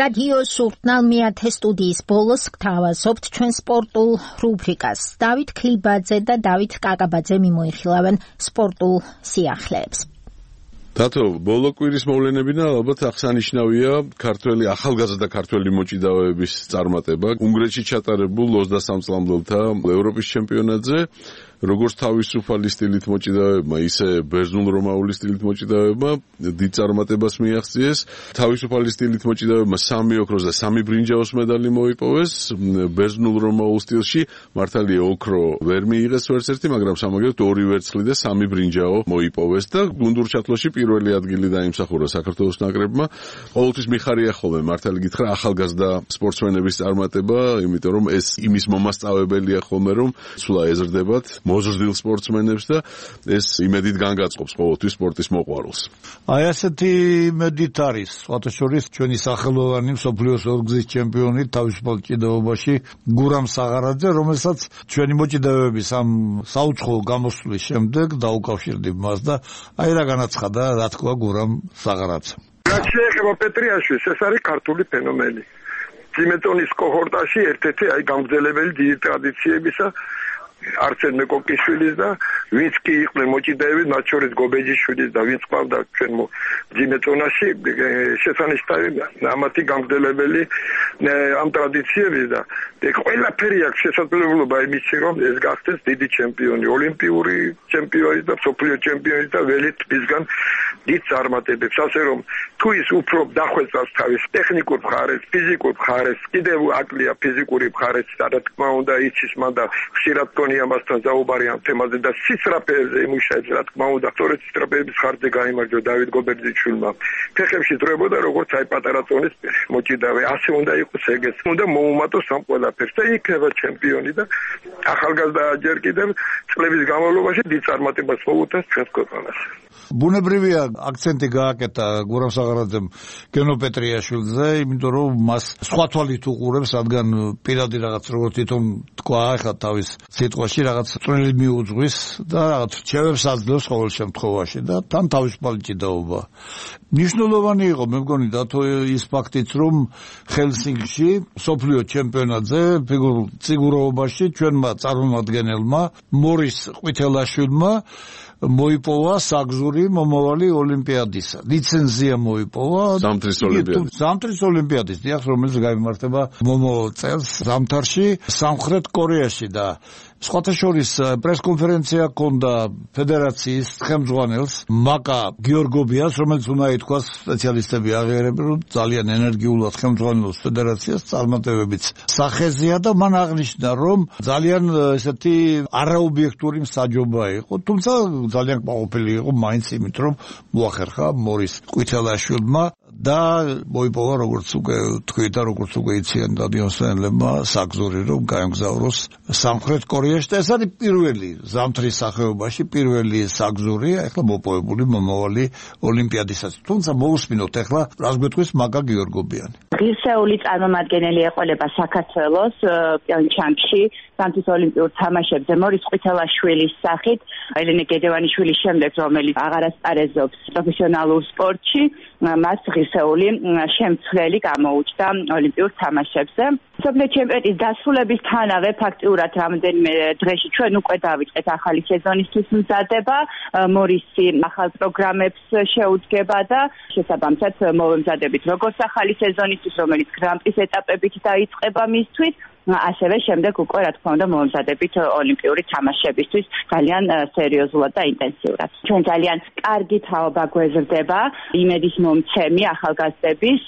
რადიო სურთნალ მეათე სტუდიის ბოლოს გთავაზობთ ჩვენ სპორტულ რუბრიკას. დავით ქლიბაძე და დავით კაკაბაძე მიმოიხილავენ სპორტულ სიახლეებს. თათო, ბოლო კვირის მოვლენებიდან ალბათ აღსანიშნავია ქართველი ახალგაზრდა ქართველი მოჭიდავეების წარმატება უნგრეთში ჩატარებულ 23 წლამდელთა ევროპის ჩემპიონატზე. როგორც თავისუფალი სტილით მოჭიდავეებმა, ისე ბერძნულ-რომაული სტილით მოჭიდავეებმა დიდ წარმატებას მიაღწიეს. თავისუფალი სტილით მოჭიდავეებმა 3 ოქროს და 3 ბრინჯაოს medali მოიპოვეს. ბერძნულ-რომაულ სტილში მართალია ოქრო ვერ მიიღეს ვერცერთი, მაგრამ სამაგერად 2 ვერცხლი და 3 ბრინჯაო მოიპოვეს და გუნდურ ჩათვლაში პირველი ადგილი დაიმსახურა საქართველოს ნაკრებმა. ყოველთვის მიხარია ხოლმე მართალი გითხრა ახალგაზრდა სპორტსმენების წარმატება, იმიტომ რომ ეს იმის მომასწავებელია ხოლმე, რომ სულა ეზრდებათ მოზრდილ სპორტსმენებს და ეს იმედით განგაწყობს ყოველთვის სპორტის მოყვარულს. აი ასეთი იმედით არის, სხვათა შორის ჩვენი სახელოვანი მსოფლიოს ორგზის ჩემპიონი თავისუფალ ჭიდაობაში გურამ საღარაძე, რომელსაც ჩვენი მოჭიდავეების ამ საუცხოო გამოსვლის შემდეგ დაუკავშირდით მას და აი რა განაცხადა, რა თქვა გურამ საღარაძემ. რაც შეეხება პეტრიაშვილს, ეს არის ქართული ფენომენი. ძიმეტონის კოჰორტაში ერთ-ერთი აი გამგზელებელი დიდი ტრადიციებისა არცენ მეკოკიშვილის და ვინც კი იყვნენ მოჭიდავეები, მათ შორის გობეჯიშვილის და ვინც ყავდა ჩვენ ძიმეტონაში, შესანიშნავი ამათი გამგზელებელი ამ ტრადიციების და ყველაფერი აქვს შესაძლებლობა იმისი, რომ ეს გახდეს დიდი ჩემპიონი, ოლიმპიური ჩემპიონი და მსოფლიო ჩემპიონი და ველით მისგან დიდ წარმატებებს, ასე რომ თუ ის უფრო დახვეწავს თავის ტექნიკურ მხარეს, ფიზიკურ მხარეს, კიდევ აკლია ფიზიკური მხარეს, და თქმა უნდა იცის მან და ხშირად ამასთან საუბარი ამ თემაზე და სისწრაფეებზე იმუშავებს, რა თქმა უნდა, სწორედ სისწრაფეების ხარჯზე გაიმარჯვა დავით გობერძიშვილმა. ფეხებში დროებოდა როგორც აი პატარა წონის მოჭიდავე, ასე უნდა იყოს ეგეც. უნდა მოუმატოს ამ ყველაფერს და იქნება ჩემპიონი და ახალგაზრდა ჯერ კიდევ წლების განმავლობაში დიდ წარმატებას მოუწევს ჩვენს ქვეყანას. ბუნებრივია აქცენტი გააკეთა გურამ საღარაძემ გენო პეტრიაშვილზე, იმიტომ რომ მას სხვა თვალით უყურებს, რადგან პირადი რაღაც როგორც თვითონ თქვა, ახლა თავის სიტყვაში რაღაც წვრილი მიუძღვის და რაღაც რჩევებს აძლევს ყოველ შემთხვევაში და თან თავისუფალი ჭიდაობა. მნიშვნელოვანი იყო, მე მგონი დათო ის ფაქტიც, რომ ჰელსინკში მსოფლიო ჩემპიონატზე ფიგურულ ციგუროვობაში ჩვენმა წარმომადგენელმა მორის ყვითელაშვილმა მოიპოვა საგზური მომავალი ოლიმპიადისა. ლიცენზია მოიპოვა ზამთრის ოლიმპიადის, დიახ, რომელიც გაიმართება მომავალ წელს ზამთარში სამხრეთ კორეაში და სხვათა შორის პრესკონფერენცია ჰქონდა ფედერაციის ხელმძღვანელს მაკა გიორგობიას, რომელიც უნდა ითქვას სპეციალისტები აღიარებენ, რომ ძალიან ენერგიულად ხელმძღვანელობს ფედერაციას წარმატებებიც სახეზეა და მან აღნიშნა, რომ ძალიან ესეთი არაობიექტური მსაჯობა იყო, თუმცა ძალიან კმაყოფილი იყო მაინც იმით, რომ მოახერხა მორის ყვითელაშვილმა და მოიპოვა როგორც უკვე თქვი და როგორც უკვე იციან დადიოსენლებმა საგზური, რომ გაემგზავროს სამხრეთ კორეაში და ეს არის პირველი ზამთრის სახეობაში პირველი საგზური ახლა მოპოვებული მომავალი ოლიმპიადისას. თუმცა მოусმინოთ ახლა რას გვეტყვის მაკა გიორგობიანი. ღირსეული წარმომადგენელი ეყოლება საქართველოს პიონჩანგში ზამთრის ოლიმპიურ თამაშებზე მორის ყვითელაშვილის სახით, ელენე გედევანიშვილის შემდეგ, რომელიც აღარ ასპარეზობს პროფესიონალურ სპორტში, მას ღირსეული შემცვლელი გამოუჩნდა ოლიმპიურ თამაშებზე. მსოფლიო ჩემპიონატის დასრულებისთანავე ფაქტიურად რამდენიმე დღეში ჩვენ უკვე დავიწყეთ ახალი სეზონისთვის მზადება, მორისი ახალ პროგრამებს შეუდგება და შესაბამისად მოვემზადებით როგორც ახალი სეზონისთვის, რომელიც გრან-პრის ეტაპებით დაიწყება მისთვის, ასევე შემდეგ უკვე რა თქმა უნდა მომზადებით ოლიმპიური თამაშებისთვის ძალიან სერიოზულად და ინტენსიურად. ჩვენ ძალიან კარგი თაობა გვეზრდება იმედის მომცემი ახალგაზრდების,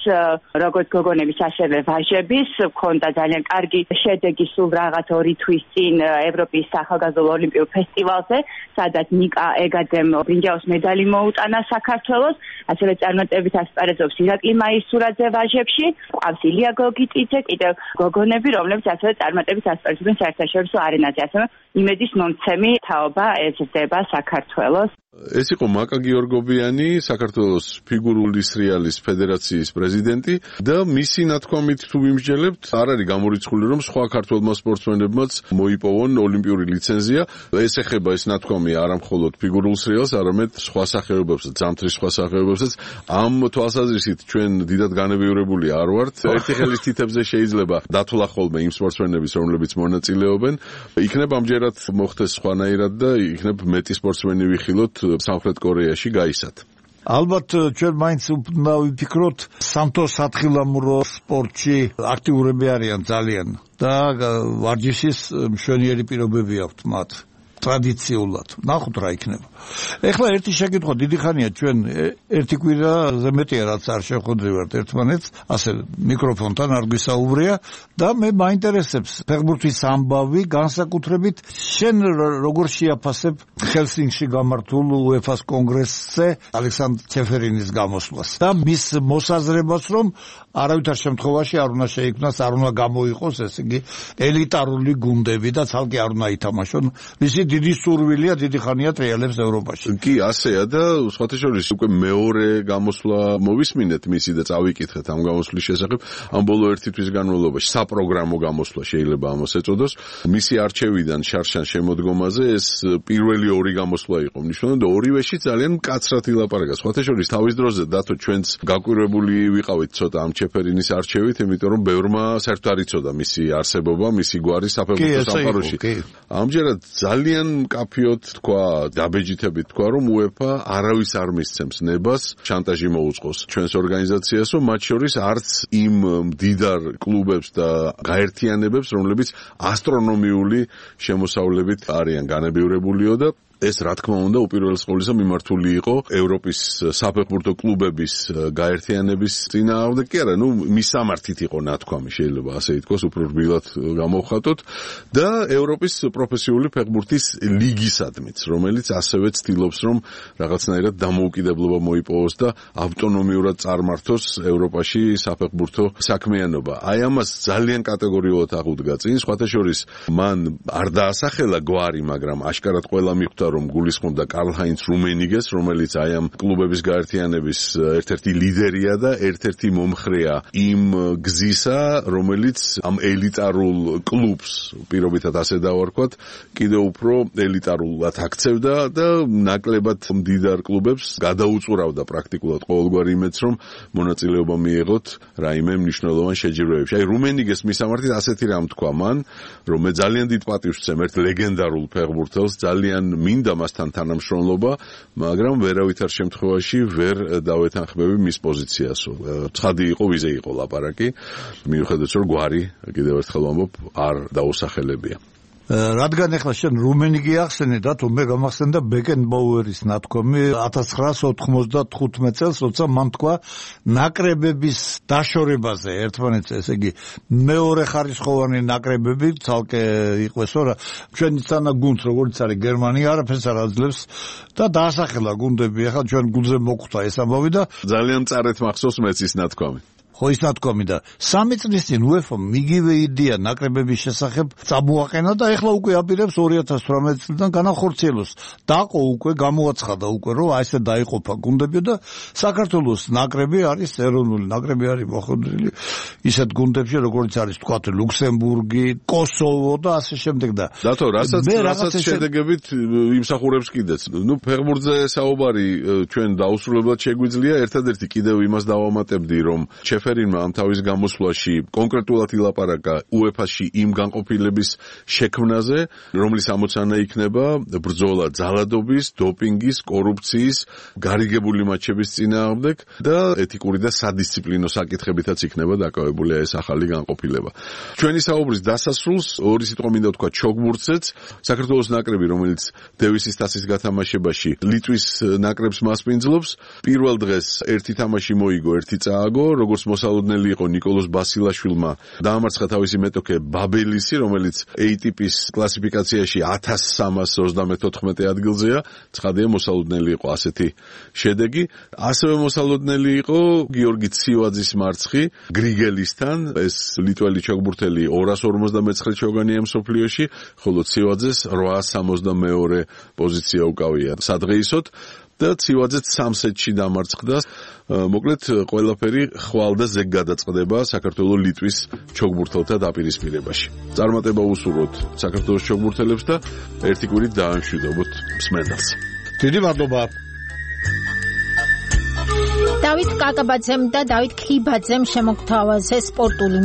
როგორც გოგონების, ასევე ვაჟების, ქონდა ძალიან კარგი შედეგი სულ რაღაც 2 თვის წინ ევროპის ახალგაზრდა ოლიმპიურ ფესტივალზე, სადაც ნიკა ეგადემ ბრინჯაოს medali მოუტანა საქართველოს, ასევე წარმატებით ასპარეზობს ირაკლი მაისურაძე ვაჟებში, ყავს ილია გოგიტიძე, კიდევ გოგონები, რომლებიც ასევე წარმატებით ასპარეზობენ საერთაშორისო არენაზე, ასევე იმედის მომცემი თაობა ეზრდება საქართველოს. ეს იყო მაკა გიორგობიანი, საქართველოს ფიგურული სრიალის ფედერაციის პრეზიდენტი და მისი ნათქვამით თუ ვიმსჯელებთ, არ არის გამორიცხული, რომ სხვა ქართველმა სპორტსმენებმაც მოიპოვონ ოლიმპიური ლიცენზია. ეს ეხება ეს ნათქვამი არა მხოლოდ ფიგურულ სრიალს, არამედ სხვა სახეობებსაც, ზამთრის სხვა სახეობებსაც. ამ თვალსაზრისით ჩვენ დიდად განებიურებული არ ვართ. ერთი ხელის თითებზე შეიძლება დათვლა ხოლმე იმ სპორტსმენების, რომლებიც მონაწილეობენ. იქნებ ამჯერად მოხდეს სხვანაირად და იქნებ მეტი სპორტსმენი ვიხილოთ სამხრეთ კორეაში გაისად. ალბათ ჩვენ მაინც უნდა ვიფიქროთ სამთო სათხილამურო სპორტში აქტიურები არიან ძალიან და ვარჯიშის მშვენიერი პირობები აქვთ მათ ტრადიციულად. ნახოთ რა იქნება. ეხლა ერთი შეკითხვა, დიდი ხანია ჩვენ ერთი კვირაზე მეტია რაც არ შევხვდრივართ ერთმანეთს, ასე მიკროფონთან არ გვისაუბრია და მე მაინტერესებს ფეხბურთის ამბავი, განსაკუთრებით შენ როგორ შეაფასებ ჰელსინკში გამართულ UEFA-ს კონგრესზე ალექსანდრ ჩეფერინის გამოსვლას და მის მოსაზრებას, რომ არავითარ შემთხვევაში არ უნდა შეიქმნას, არ უნდა გამოიყოს, ესე იგი ელიტარული გუნდები და ცალკე არ უნდა ითამაშონ. მისი დიდი სურვილია, დიდი ხანია ტრიალებს ევროპაში. კი, ასეა და სხვათა შორის უკვე მეორე გამოსვლა მოვისმინეთ მისი და წავიკითხეთ ამ გამოსვლის შესახებ. ამ ბოლო ერთი თვის განმავლობაში საპროგრამო გამოსვლა შეიძლება ამას ეწოდოს. მისი არჩევიდან შარშან შემოდგომაზე ეს პირველი ორი გამოსვლა იყო მნიშვნელოვანი და ორივეში ძალიან მკაცრად ილაპარაკა. სხვათა შორის თავის დროზე დათო ჩვენც გაკვირვებული ვიყავით ცოტა ამ ჩეფერინის არჩევით, იმიტომ რომ ბევრმა საერთოდ არ იცოდა მისი არსებობა, მისი გვარი საფეხბურთო სამყაროში. ამჯერად ძალიან მკაფიოდ თქვა, დაბეჯითებით თქვა, რომ UEFA არავის არ მისცემს ნებას შანტაჟი მოუწყოს ჩვენს ორგანიზაციას, რომ მათ შორის არც იმ მდიდარ კლუბებს და გაერთიანებებს, რომლებიც ასტრონომიული შემოსავლებით არიან განებივრებულიო და ეს რა თქმა უნდა უპირველეს ყოვლისა მიმართული იყო ევროპის საფეხბურთო კლუბების გაერთიანების წინააღმდეგ კი არა, მისამართით იყო ნათქვამი, შეიძლება ასე ითქვას, უფრო რბილად გამოვხატოთ და ევროპის პროფესიული ფეხბურთის ლიგისადმიც, რომელიც ასევე ცდილობს, რომ რაღაცნაირად დამოუკიდებლობა მოიპოვოს და ავტონომიურად წარმართოს ევროპაში საფეხბურთო საქმიანობა. აი ამას ძალიან კატეგორიულად აღუდგა წინ, სხვათა შორის მან არ დაასახელა გვარი, მაგრამ აშკარად ყველა მიხვდა რომ გულისხმობდა კარლ-ჰაინც რუმენიგეს, რომელიც აი ამ კლუბების გაერთიანების ერთ-ერთი ლიდერია და ერთ-ერთი მომხრეა იმ გზისა, რომელიც ამ ელიტარულ კლუბს, პირობითად ასე დავარქვათ, კიდევ უფრო ელიტარულად აქცევდა და ნაკლებად მდიდარ კლუბებს გადაუწურავდა პრაქტიკულად ყოველგვარი იმედს, რომ მონაწილეობა მიიღოთ რაიმე მნიშვნელოვან შეჯიბრებებში. აი რუმენიგეს მისამართით ასეთი რამ თქვა მან, რომ მე ძალიან დიდ პატივს ვცემ ერთ ლეგენდარულ ფეხბურთელს, ძალიან მინდა მასთან თანამშრომლობა, მაგრამ ვერავითარ შემთხვევაში ვერ დავეთანხმები მის პოზიციასო. ცხადი იყო, ვიზე იყო ლაპარაკი, მიუხედავად რომ გვარი, კიდევ ერთხელ ვამბობ, არ დაუსახელებია. რადგან ახლა შენ რუმენიგი ახსენე და თუ მე გამახსენდა ბეკენბაუერის ნათქვამი 1995 წელს, როცა მან თქვა ნაკრებების დაშორებაზე ერთმანეთს, ესე იგი მეორე ხარისხოვანი ნაკრებები ცალკე იყვესო რა. ჩვენი წანა გუნდს როგორც არის გერმანია არაფერს არ აძლევს და დაასახელა გუნდები. ახლა ჩვენ გუნდზე მოხვდა ეს ამბავი და ძალიან მწარეთ მახსოვს მეც ის ნათქვამი. ხო ის ნათქვამი და 3 წლის წინ UEFA მიგივე იდეა ნაკრებების შესახებ წამოაყენა და ეხლა უკვე აპირებს 2018 წლიდან განახორციელოს. დაყო უკვე, გამოაცხადა უკვე, რომ აი ესე დაიყოფა გუნდები და საქართველოს ნაკრები არის ეროვნული ნაკრები არის მოხვედრილი ისეთ გუნდებში, როგორც არის თქვა ლუქსემბურგი, კოსოვო და ასე შემდეგ და დათო, რასაც შედეგებით იმსახურებს კიდეც. ფეხბურთზე საუბარი ჩვენ დაუსრულებლად შეგვიძლია, ერთადერთი კიდევ იმას დავამატებდი, რომ ჩეფერინმა ამ თავის გამოსვლაში კონკრეტულად ილაპარაკა UEFA-ში იმ განყოფილების შექმნაზე, რომლის ამოცანა იქნება ბრძოლა ძალადობის, დოპინგის, კორუფციის, გარიგებული მაჩების წინააღმდეგ და ეთიკური და სადისციპლინო საკითხებითაც იქნება დაკავებული ეს ახალი განყოფილება. ჩვენი საუბრის დასასრულს ორი სიტყვა მინდა ვთქვა ჩოგბურთზეც. საქართველოს ნაკრები, რომელიც დევისის თასის გათამაშებაში ლიტვის ნაკრებს მასპინძლობს, პირველ დღეს ერთი თამაში მოიგო, ერთი წააგო, როგორც მოსალოდნელი იყო ნიკოლოზ ბასილაშვილმა დაამარცხა თავისი მეტოქე ბაბელისი, რომელიც ATP-ის კლასიფიკაციაში 1334 ადგილზეა. ცხადია მოსალოდნელი იყო ასეთი შედეგი. ასევე მოსალოდნელი იყო გიორგი ცივაძის მარცხი გრიგელისთან. ეს ლიტველი ჩოგბურთელი 259 ჩოგანია მსოფლიოში, ხოლო ცივაძეს 862 პოზიცია უკავია სადღეისოდ. და ცივაძეც 3 სეტში დამარცხდა. მოკლედ ყველაფერი ხვალ და ზეგ გადაწყდება საქართველოს ლიტვის ჩოგბურთელთა დაპირისპირებაში. წარმატება უსურვოთ საქართველოს ჩოგბურთელებს და ერთი კვირით დაამშვიდობოთ მსმენელს. დიდი მადლობა. დავით კაკაბაძემ და დავით ქლიბაძემ შემოგთავაზეს სპორტული